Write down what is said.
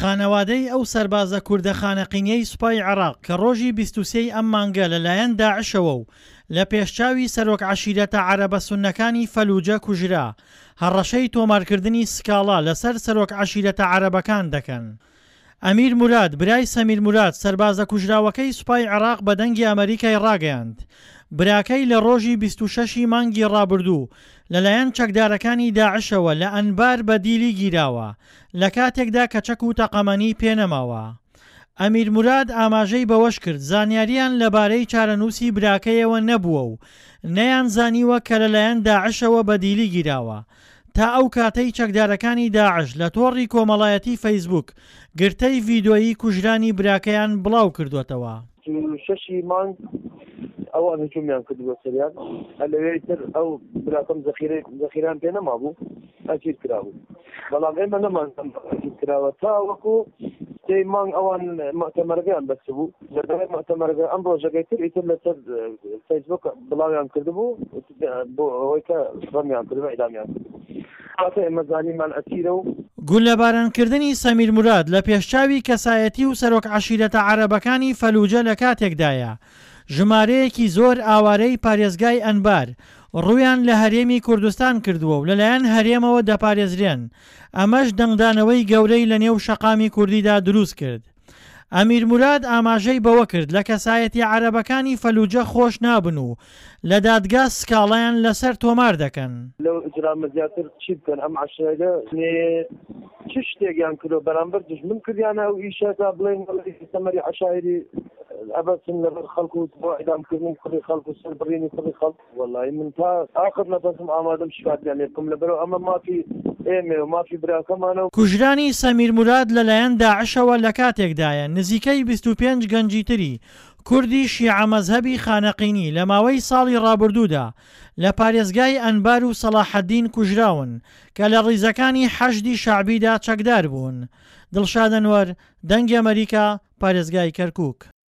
خانەوادەی ئەو سەربازە کوردە خانەقینیەی سوپای عێراق کە ڕۆژی 23 ی ئەم مانگە لە لایەن داعشەوە و لە پێشچاوی سەرۆک عەشیرەتە عەرەبە سوننەکانی فەلوجە کوژرا، هەڕەشەی تۆمارکردنی سکاڵا لەسەر سەرۆک عەشیرەتە عەرەبەکان دەکەن. ئەمیر موراد، برای سەمیر موراد، سەربازە کوژراوەکەی سوپای عێراق بە دەنگی ئەمەریکای ڕاگەیاند، براکەی لە ڕۆژی 26 ی مانگی ڕابردوو لەلایەن چەکدارەکانی داعشەوە لە ئەنبار بە دیلی گیراوە، لە کاتێکدا کە چەک و تەقەمەنی پێنەماوە. ئەمیر موراد ئاماژەی بەوەشکرد، زانیارییان لەبارەی چارەنووسی براکەیەوە نەبووە و نەیانزانیوە کە لەلایەن داعشەوە بە دیلی گیراوە، تا ئەو کاتەی چەکدارەکانی داعش لە تۆڕی کۆمەڵایەتی فەیسبووک گرتەی ڤیدۆیی کوژرانی براکەیان بڵاوکردووەتەوە. 26 ی مانگ ئەوان هجومیان کردبووە سەریان، لەوێ ئیتر ئەو براکەم زەخیرەی زەخیرەیان پێ نەمابوو ئەسیر کرابوو، بەڵام ئێمە نەمانزانی ئەسیر کراوە تاوەکو سێی مانگ ئەوان موئتەمەرەکەیان بەستبوو، لە دوای موئتەمەرەکە ئەم ڕۆژەکەی تر ئیتر لەسەر فەیسبووک بڵاویان کردبوو بۆ ئەوەی کە ڕەمیان کردبوو ئیعدامیان کردبوو کاتێ ئێمە زانیمان ئەسیرە و. گوللەبارانکردنی سەمیر موراد لە پێشچاوی کەسایەتی و سەرۆک عەشیرەتە عەرەبەکانی فەلوجە لە کاتێکدایە ژمارەیەکی زۆر ئاوارەی پارێزگای ئەنبار ڕوویان لە هەرێمی کوردستان کردووە و لەلایەن هەرێمەوە دەپارێزرێن، ئەمەش دەنگدانەوەی گەورەی لەنێو شەقامی کوردیدا دروستکرد. ئەمیر موراد ئاماژەی بەوە کرد لە کەسایەتیە عەرەبەکانی فەلوجە خۆش نابن و لە دادگا سکاڵایان لەسەر تۆمار دەکەن. لەو ئیجرامە زیاتر چی بکەن ئەم عەشایرە چ شتێکیان کردوە بەرامبەر دوژمن کردیانە ئەو ئیشە تا بڵێن سەمەری عەشایری ئەبەسن لەبەر خەڵک و بۆ ئیعدام کردنی کوڕی خەڵک و سەر بڕینی کوڕی خەڵک. وەڵایی من تا ئاخر نەفەسم ئامادەم شکاتیان لێ بکەم لەبەرئەوە ئەمە مافی ئێمەیە و مافی براکەمانە و. کوژرانی سەمیر موراد لەلایەن داعشەوە لەکاتێکدایە، نزیکەی 25 گەنجی تری کوردی شیعە مەزهەبی خانەقینی لە ماوەی ساڵی ڕابردوودا لە پارێزگای ئەنبار و سەڵاحەدین کوژراون کە لە ڕیزەکانی حەشدی شەعبیدا چەکدار بوون. دڵشاد ئەنوەر، دەنگی ئەمەریکا، پارێزگای کەرکوک.